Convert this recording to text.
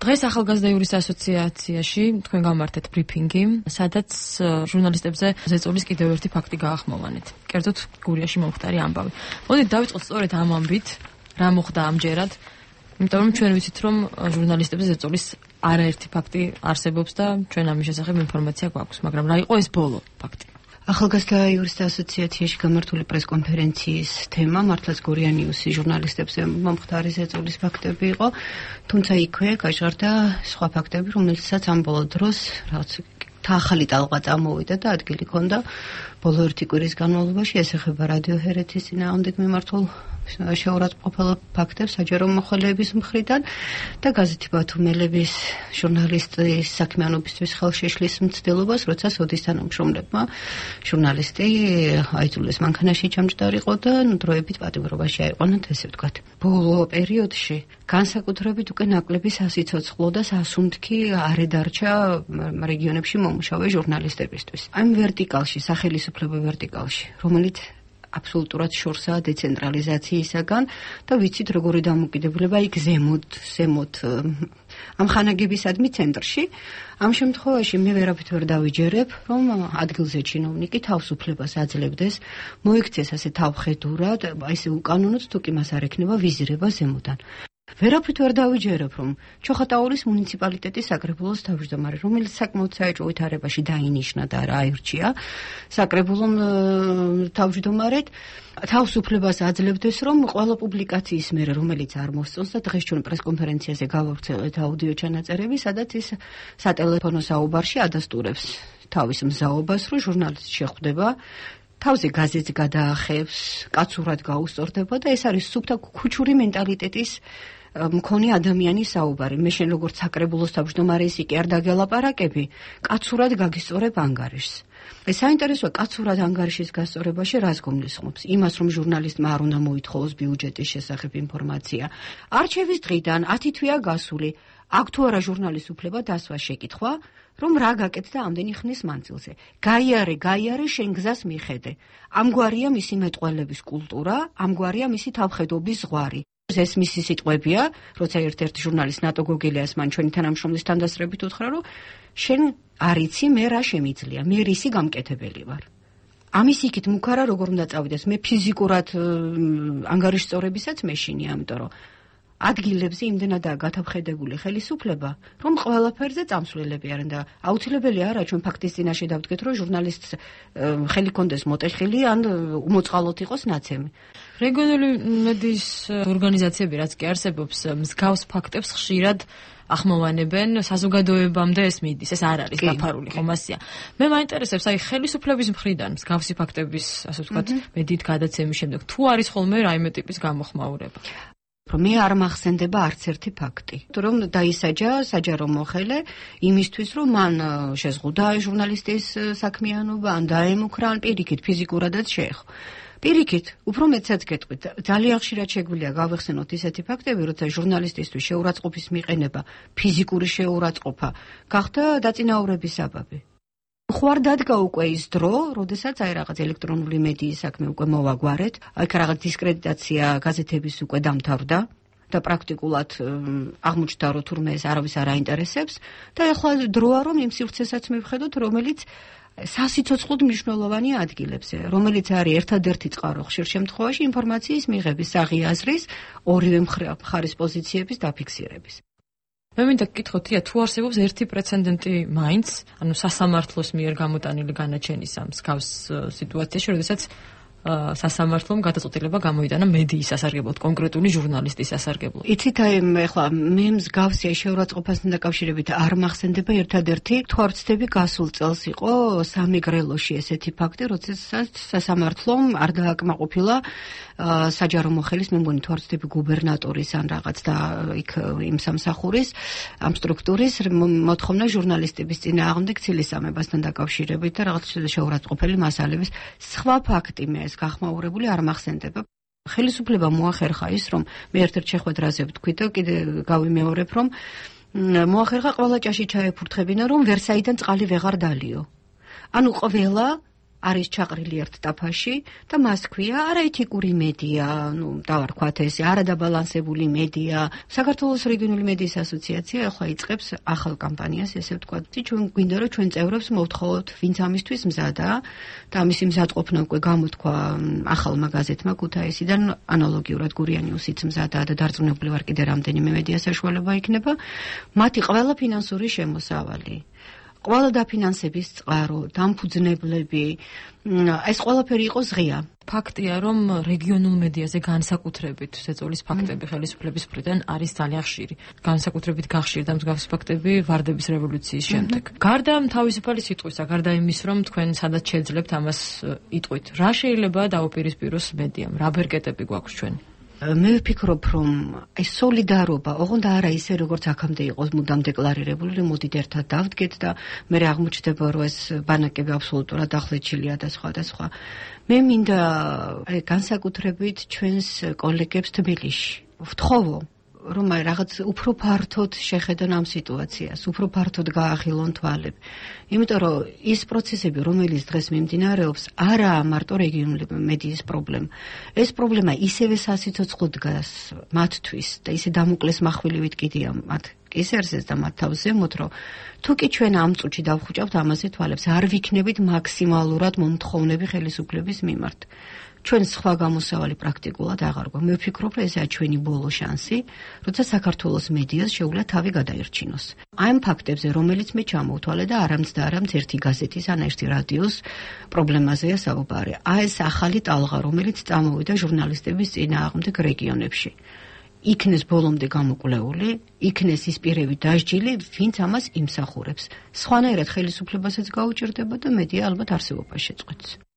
დღეს ახალგაზრდა იურისტთა ასოციაციაში თქვენ გამართეთ ბრიფინგი, სადაც ჟურნალისტებზე ზეწოლის კიდევ ერთი ფაქტი გაახმოვანეთ. კერძოდ გურიაში მომხდარი ამბავი. მოდით დავიწყოთ სწორედ ამ ამბით, რა მოხდა ამჯერად, იმიტომ რომ ჩვენ ვიცით, რომ ჟურნალისტებზე ზეწოლის არაერთი ფაქტი არსებობს და ჩვენ ამის შესახებ ინფორმაცია გვაქვს, მაგრამ რა იყო ეს ბოლო ფაქტი? ახალგაზრდა იურისტთა ასოციაციაში გამართული პრესკონფერენციის თემა მართლაც გორიანიუსი ჟურნალისტებზე მომხდარი ზეწოლის ფაქტები იყო, თუმცა იქვე გაჟღერდა სხვა ფაქტები, რომელთაც ამ ბოლო დროს რაღაც ახალი ტალღა წამოვიდა და ადგილი ჰქონდა ბოლო ერთი კვირის განმავლობაში, ეს ეხება რადიო ჰერეთის წინააღმდეგ მიმართულ შეურაცხმყოფელ ფაქტებს საჯარო მოხელეების მხრიდან და გაზეთი ბათუმელების ჟურნალისტის საქმიანობისთვის ხელშეშლის მცდელობას, როცა სოდის თანამშრომლებმა ჟურნალისტი აიძულეს მანქანაში ჩამჯდარიყო და დროებით პატიმრობაში აიყვანათ, ესე ვთქვათ. ბოლო პერიოდში განსაკუთრებით უკვე ნაკლები სასიცოცხლო და სასუნთქი არ εδარჩა რეგიონებში მომუშავე ჟურნალისტებისთვის. ამ ვერტიკალში, სახელისუფლებო ვერტიკალში, რომელიც აბსოლუტურად შორსაა დეცენტრალიზაციისაგან და ვიცით როგორი დამოკიდებულება იქ ზემოთ ამ ხანაგებისადმი ცენტრში. ამ შემთხვევაში მე ვერაფრით ვერ დავიჯერებ, რომ ადგილზე ჩინოვნიკი თავისუფლებას აძლევდეს, მოიქცეს ასე თავხედურად, ესე უკანონოდ თუ კი მას არ ექნება ვიზირება ზემოდან. ვერაფრით ვერ დავიჯერებ, რომ ჩოხატაურის მუნიციპალიტეტის საკრებულოს თავმჯდომარე, რომელიც საკმაოდ საეჭვო ვითარებაში დაინიშნა და რა აირჩია საკრებულომ თავმჯდომარედ, თავისუფლებას აძლევდეს, რომ ყველა პუბლიკაციის მერე, რომელიც არ მოსწონს და დღეს ჩვენ პრესკონფერენციაზე გავავრცელეთ აუდიო ჩანაწერები, სადაც ის სატელეფონო საუბარში ადასტურებს თავის მზაობას, რომ ჟურნალისტი შეხვდება, თავზე გაზეთს გადაახევს, კაცურად გაუსწორდება და ეს არის სუფთა ქუჩური მენტალიტეტის მქონე ადამიანის საუბარი. მე შენ როგორც საკრებულოს თავმჯდომარე ისე კი არ დაგელაპარაკები, კაცურად გაგისწორებ ანგარიშს. ეს საინტერესოა კაცურად ანგარიშის გასწორებაში რას გულისხმობს? იმას, რომ ჟურნალისტმა არ უნდა მოითხოვოს ბიუჯეტის შესახებ ინფორმაცია. არჩევის დღიდან 10 თვეა გასული. აქ თუ არა ჟურნალისტს უფლება დასვას შეკითხვა, რომ რა გაკეთდა ამდენი ხნის მანძილზე. გაიარე, შენ გზას მიხედე. ამგვარია მისი მეტყველების კულტურა, ამგვარია მისი თავხედობის ზღვარი. ეს მისი სიტყვებია, როცა ერთ-ერთი ჟურნალისტ ნატო გოგელიას მან ჩვენი თანამშრომლის თანდასწრებით უთხრა, რომ შენ არიცი მე რა შემიძლია, მე რისი გამკეთებელი ვარ. ამის იქით მუქარა როგორ უნდა წავიდეს, მე ფიზიკურად ანგარიშწორებისაც მეშინია, ამიტომ რომ ადგილებზე იმდენადაა გათავხედებული ხელისუფლება, რომ ყველაფერზე წამსვლელები არიან და აუცილებელი არა ჩვენ ფაქტის წინაშე დავდგეთ, რომ ჟურნალისტს ხელი კონდეს მოტეხილი ან უმოწყალოდ იყოს ნაცემი. რეგიონული მედიის ორგანიზაციები, რაც კი არსებობს, მსგავს ფაქტებს ხშირად ახმოვანებენ, საზოგადოებამდე ეს მიდის, ეს არ არის დაფარული ხომასია. მე მაინტერესებს, აი ხელისუფლების მხრიდან მსგავსი ფაქტების, ასე ვთქვათ, მედიით გადაცემის შემდეგ, თუ არის ხოლმე რაიმე ტიპის გამოხმაურება? მე არ მახსენდება არც ერთი ფაქტი, რომ დაისაჯა საჯარო მოხელე იმისთვის, რომ მან შეზღუდა ჟურნალისტის საქმიანობა, ან დაემუქრა, ან პირიქით ფიზიკურადაც შეეხო. პირიქით, უფრო მეტსაც გეტყვით, ძალიან ხშირად შეგვიძლია გავეხსენოთ ისეთი ფაქტები, როცა ჟურნალისტისთვის შეურაცხყოფის მიყენება, ფიზიკური შეურაცხყოფა გახდა დაწინაურების საბაბი. ხوار დადგა უკვე ის დრო, როდესაც აი რაღაც ელექტრონული მედიის საქმე უკვე მოვაგვარეთ, აი რაღაც დისკრედიტაცია გაზეთების უკვე დამთავრდა და პრაქტიკულად აღმოჩნდა, რომ თურმე ეს არავის არ აინტერესებს და ახლა დროა რომ იმ სივრცესაც მივხედოთ, რომელიც სასიცოცხლოდ მნიშვნელოვანია ადგილებზე, რომელიც არის ერთადერთი წყარო ხშირ შემთხვევაში ინფორმაციის მიღების, აღიაზრის, ორივე მხარის პოზიციების დაფიქსირების. მე მინდა გკითხოთ, თუ არსებობს ერთი პრეცედენტი მაინც, ანუ სასამართლოს მიერ გამოტანილი განაჩენის ამ მსგავს სიტუაციაში, როდესაც სასამართლომ გადაწყვეტილება გამოიტანა მედიის სასარგებლოდ, კონკრეტული ჟურნალისტის სასარგებლოდ. იცით, აი ახლა მე მსგავსია შეურაცხყოფასთან დაკავშირებით არ მახსენდება ერთადერთი თვალწდები გასულ წელს იყო სამეგრელოში ესეთი ფაქტი, როდესაც სასამართლომ არ დააკმაყოფილა საჯარო მოხელის, მე მგონი თვალწდები გუბერნატორის ან რაღაც და იქ იმ სამსახურის ამ სტრუქტურის მოთხოვნა ჟურნალისტების წინააღმდეგ ცილისამებასთან დაკავშირებით და რაღაც შეურაცხყოფელი მასალების სხვა ფაქტი მე ეს გახმაურებული არ მახსენდება. ხელისუფლება მოახერხა ის, რომ მე ერთ-ერთ შეხვედრაზე ვთქვით და კიდე გავიმეორებ, რომ მოახერხა ყველა ჭაში ჩაეფურთხებინა, რომ ვერსაიდან წყალი ვეღარ დალიო. ანუ ყველა არის ჩაყრილი ერთ ტაფაში და მას ქვია არაეთიკური მედია, დავარქვათ ესე, არადაბალანსებული მედია. საქართველოს რეგიონული მედიის ასოციაცია ახლა იწყებს ახალ კამპანიას, ესე ვთქვათ. ჩვენ გვინდა რომ ჩვენ წევრებს მოვთხოვოთ, ვინც ამისთვის მზადაა და ამისი მზადყოფნა უკვე გამოთქვა ახალმა გაზეთმა ქუთაისიდან, ანალოგიურად გურიანიუსიც მზადაა და დარწმუნებული ვარ კიდე რამდენიმე მედია საშუალება იქნება. მათი ყველა ფინანსური შემოსავალი, ყველა დაფინანსების წყარო, დამფუძნებლები, ეს ყველაფერი იყოს ღია. ფაქტია, რომ რეგიონულ მედიაზე განსაკუთრებით ზეწოლის ფაქტები ხელისუფლების მხრიდან არის ძალიან ხშირი. განსაკუთრებით გახშირდა მსგავსი ფაქტები ვარდების რევოლუციის შემდეგ. გარდა თავისუფალი სიტყვისა, გარდა იმის, რომ თქვენ სადაც შეძლებთ ამას იტყვით, რა შეიძლება დაუპირისპიროს მედიამ? რა ბერკეტები გვაქვს ჩვენ? მე ვფიქრობ, რომ ეს სოლიდარობა, ოღონდ არა ისე, როგორც აქამდე იყოს მუდამ დეკლარირებული, რომ მოდით ერთად დავდგეთ და მე აღმოჩნდება, რომ ეს ბანაკები აბსოლუტურად ახლეჩილია და სხვა და სხვა. მე მინდა განსაკუთრებით ჩვენს კოლეგებს თბილისში ვთხოვო, რომ რაღაც უფრო ფართოდ შეხედონ ამ სიტუაციას, უფრო ფართოდ გაახილონ თვალები. იმიტომ რომ ის პროცესები, რომელიც დღეს მიმდინარეობს, არაა მარტო რეგიონული მედიის პრობლემა. ეს პრობლემა ისევე სასიცოცხლო დგას მათთვის და ისე დამოკლეს מחვილივით კიდია მათ კისერსეს და მათ თავზე მოთ, რომ თუ კი ჩვენ ამ წუთში დავხუჭავთ ამაზე თვალებს, არ ვიქნებით მაქსიმალურად მომთხოვნები ხელისუფლების მიმართ. ჩვენ სხვა გამოსავალი პრაქტიკულად აღარ გვაქვს. მე ვფიქრობ, რომ ესაა ჩვენი ბოლო შანსი, როცა საქართველოს მედიას შეუძლია თავი გადაერჩინოს. ამ ფაქტებზე, რომელიც მე ჩამოვთვალე და არამც და არამც ერთი გაზეთის ან ერთი რადიოს პრობლემაზეა საუბარი. ეს ახალი ტალღა, რომელიც წამოვიდა ჟურნალისტების წინააღმდეგ რეგიონებში. იქნეს ბოლომდე გამოკვლეული, იქნეს ის პირები დასჯილი, ვინც ამას იმსახურებს. სხვანაირად ხელისუფლებასაც გაუჭირდება და მედია ალბათ არსებობას შეწყვეტს.